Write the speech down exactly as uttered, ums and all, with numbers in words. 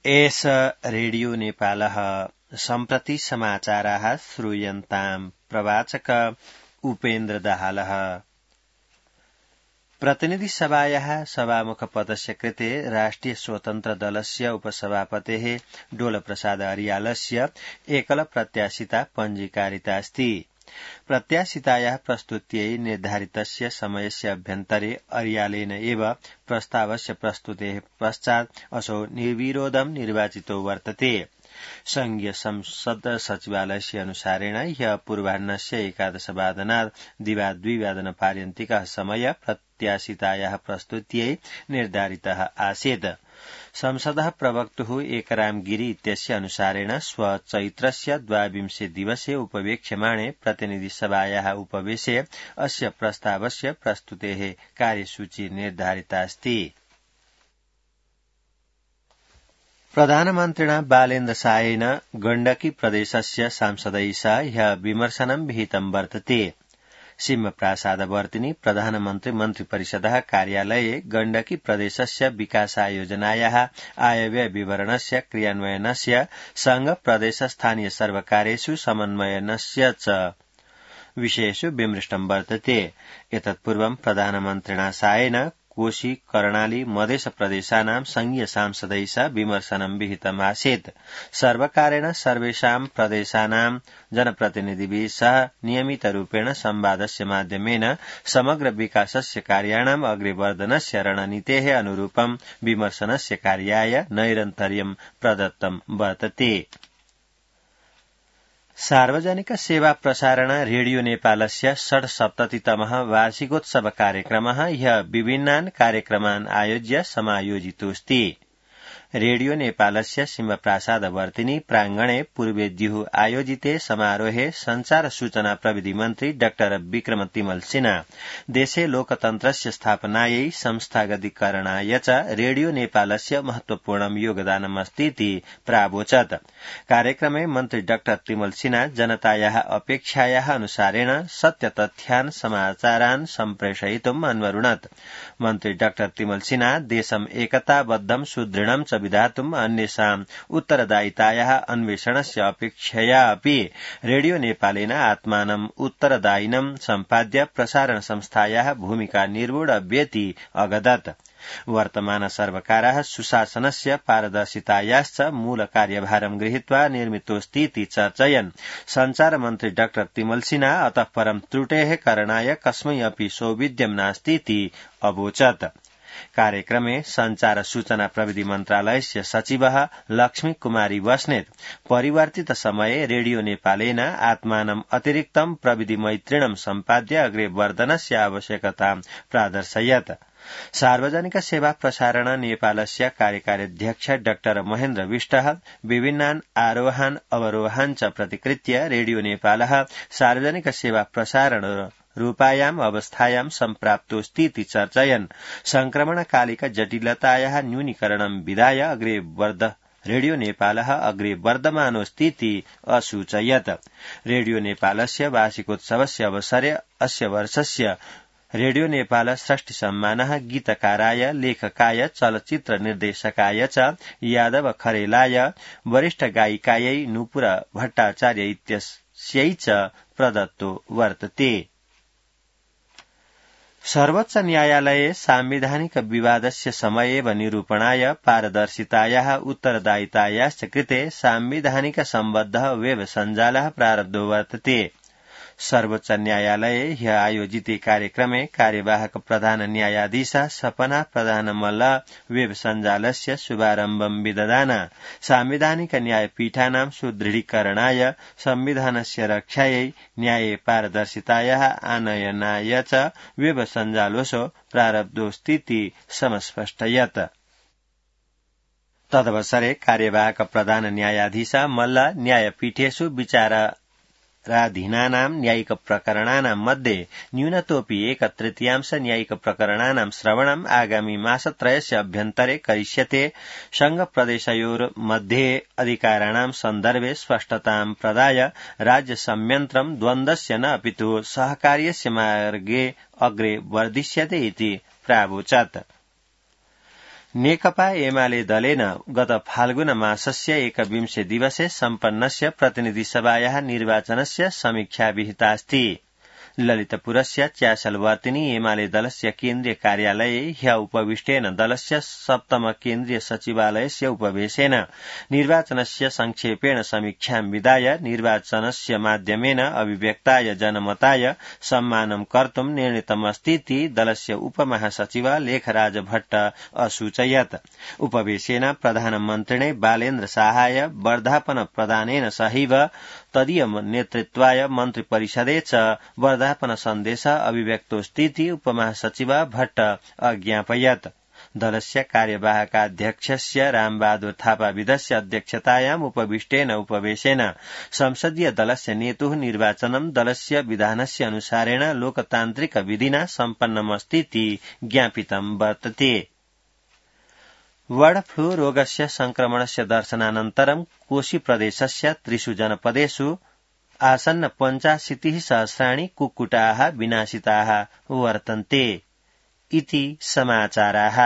एष रेडियो नेपालः सम्प्रति समाचाराः श्रूयन्ताम् प्रवाचक उपेन्द्र दाहालः। प्रतिनिधि सभायाः सभामुखपदस्य कृते राष्ट्रिय स्वतन्त्र दलस्य उपसभापतेः डोलप्रसाद अर्यालस्य एकल प्रत्याशिता पञ्जीकारिता अस्ति। प्रत्याशितायाः प्रस्तुत्यै निर्धारितस्य समयस्य अभ्यन्तरे अर्यालेन एव प्रस्तावस्य प्रस्तुतेः पश्चात् असौ निर्विरोधं निर्वाचितो वर्तते। संघीय संसद सचिवालयस्य अनुसारेण ह्यः पूर्वाह्नस्य एकादशवादनात् दिवाद्विवादनपर्यन्तिकः समय प्रत्याशितायाः प्रस्तुत्यै निर्धारितः आसीत्। संसदः प्रवक्तुः एकराम गिरी इत्यस्य अनुसारेण श्व चैत्रस्य द्वाविंशे दिवसे उपवेक्ष्यमाणे प्रतिनिधि सभायाः उपवेशे अस्य प्रस्तावस्य प्रस्तुतेः कार्यसूची निर्धारिता अस्ति। प्रधानमन्त्रिणा बालेन्द्र शाहेन गण्डकी प्रदेशस्य सांसदैः सह ह्यः विमर्शनं विहितं वर्तते। सिंहप्रासादवर्तिनि प्रधानमन्त्री मन्त्रिपरिषदः कार्यालये गण्डकी प्रदेशस्य विकासायोजनायाः आयव्यय विवरणस्य क्रियान्वयनस्य संघ प्रदेश स्थानीय सर्वकारेषु समन्वयनस्य च विषयेषु विमृष्टं वर्तते। एतत्पूर्वं प्रधानमन्त्रिणा शाहेन कोशी कर्णाली मधेश प्रदेशानां संघीय सांसदैः सह विमर्शनं विहितमासीत्। सर्वकारेण सर्वेषां प्रदेशानां जनप्रतिनिधिभिः सह नियमितरूपेण संवादस्य माध्यमेन समग्र विकासस्य कार्याणाम् अग्रेवर्धनस्य रणनीतेः अनुरूपं विमर्शनस्य कार्याय नैरन्तर्यं प्रदत्तं वर्तते। सार्वजनिक सेवा प्रसारण रेडियो नेपालस्य षड्सप्ततितमः वार्षिकोत्सव कार्यक्रमः ह्यः विभिन्नान् कार्यक्रमान् आयोज्य समायोजितोऽस्ति। रेडियो नेपालस्य सिंहप्रासादवर्तिनि प्रांगणे पूर्वेद्युः आयोजिते समारोहे संचार सूचना प्रविधि मन्त्री डाक्टर विक्रम तिमल सिन्हा देशे लोकतन्त्रस्य स्थापनायै संस्थागतीकरणाय च रेडियो नेपालस्य महत्वपूर्णं योगदानमस्तीति प्रावोचत्। कार्यक्रमे मन्त्री डाक्टर तिमल सिन्हा जनतायाः अपेक्षायाः अनुसारेण सत्यतथ्यान् समाचारान् सम्प्रेषयितुम् अन्वरुणत्। मन्त्री डाक्टर तिमल सिन्हा देशम् एकताबद्धं सुदृढं च विधातुम् अन्येषाम् उत्तरदायितायाः अन्वेषणस्य अपेक्षया अपि रेडियो नेपालेन आत्मानम् उत्तरदायिनं सम्पाद्य प्रसारण संस्थायाः भूमिका निर्वोढव्येति अगदत्। वर्तमान सर्वकारः सुशासनस्य पारदर्शितायाश्च मूल कार्यभारं गृहीत्वा निर्मितोऽस्तीति चर्चयन् संचार मन्त्री डाक्टर तिमल सिन्हा अतः परं त्रुटेः करणाय कस्मै अपि सौविध्यं नास्तीति अवोचत्। कार्यक्रमे संचार सूचना प्रविधि मन्त्रालयस्य सचिवः लक्ष्मी कुमारी बस्नेत परिवर्तित समये रेडियो नेपालेन आत्मानम् अतिरिक्तं प्रविधि मैत्रिणं सम्पाद्य अग्रे वर्धनस्य आवश्यकतां प्रादर्शयत्। सार्वजनिक सेवा प्रसारण नेपालस्य कार्यकार्याध्यक्ष डाक्टर महेन्द्र विष्टः विभिन्नान् आरोहान् अवरोहान् च प्रतिकृत्य रेडियो नेपालः सार्वजनिक सेवा प्रसारण रूपायाम् अवस्थायां सम्प्राप्तोऽस्तीति चर्चयन् संक्रमणकालिक जटिलतायाः न्यूनीकरणं विधाय अग्रे वर्ध रेडियो नेपालः अग्रे वर्धमानोऽस्तीति असूचयत्। रेडियो नेपालस्य वार्षिकोत्सवस्य अवसरे अस्य वर्षस्य रेडियो नेपाल षष्ठी सम्मानः गीतकाराय लेखकाय चलचित्र निर्देशकाय च यादव खरेलाय वरिष्ठ गायिकायै नुपुर भट्टाचार्य इत्यस्यै च प्रदत्तो वर्तते। सर्वोच्च न्यायालये साम्विधानिक विवादस्य समयेव निरूपणाय पारदर्शितायाः उत्तरदायितायाश्च कृते साम्विधानिक सम्बद्धः वेब सञ्जालः प्रारब्धो वर्तते। सर्वोच्च न्यायालये ह्यः आयोजिते कार्यक्रमे कार्यवाहक प्रधान न्यायाधीशः सपना प्रधानमल्ल वेब सञ्जालस्य शुभारम्भं विदधान। साम्विधानिक न्यायपीठानां सुदृढीकरणाय संविधानस्य रक्षायै न्याये पारदर्शितायाः आनयनाय च वेब सञ्जालोऽसौ प्रारब्धोऽस्तीति समस्पष्टयत्। तदवसरे कार्यवाहक प्रधान न्यायाधीश मल्ल न्यायपीठेषु विचार राधीनानां न्यायिक प्रकरणानां मध्ये न्यूनतोऽपि एक तृतीयांश न्यायिक प्रकरणानां श्रवणम् आगामी मासत्रयस्य अभ्यन्तरे करिष्यते। संघ प्रदेशयोर्मध्ये अधिकाराणां सन्दर्भे स्पष्टतां प्रदाय राज्य संयन्त्रं द्वन्द्वस्य न अपितु सहकार्यस्य मार्गे अग्रे वर्धिष्यते इति प्रावोचत्। नेकपा एमाले दलेन गत फाल्गुन मासस्य एकविंशे दिवसे सम्पन्नस्य प्रतिनिधिसभायाः निर्वाचनस्य समीक्षा विहितास्ति। ललितपुरस्य च्यासलवर्तिनी एमाले दलस्य केन्द्रीय कार्यालये ह्य उपविष्टेन दलस्य सप्तम केन्द्रीय सचिवालयस्य उपवेशेन निर्वाचनस्य संक्षेपेण समीक्षां विधाय निर्वाचनस्य माध्यमेन अभिव्यक्ताय जनमताय सम्मानं कर्तुं निर्णीतमस्तीति दलस्य उपमहासचिव लेखराज भट्ट असूचयत्। उपवेशेन प्रधानमन्त्रिणे बालेन्द्र शाहाय वर्धापन प्रदानेन सहैव तदीय नेतृत्वाय मन्त्रिपरिषदे च वर्धापन सन्देश अभिव्यक्तोऽस्तीति उपमहासचिव भट्ट अज्ञापयत्। दलस्य कार्यवाहकाध्यक्षस्य रामबहादुर थापाविदस्य अध्यक्षतायाम् उपविष्टेन उपवेशेन संसदीय दलस्य नेतुः निर्वाचनं दलस्य विधानस्य अनुसारेण लोकतान्त्रिक विधिना सम्पन्नमस्तीति ज्ञापितं वर्तते। बर्ड फ्लू रोगस्य संक्रमणस्य दर्शनानन्तरं कोशी प्रदेशस्य त्रिषु जनपदेषु आसन्न पञ्चाशीतिः सहस्राणि कुक्कुटाः विनाशिताः वर्तन्ते इति समाचाराः।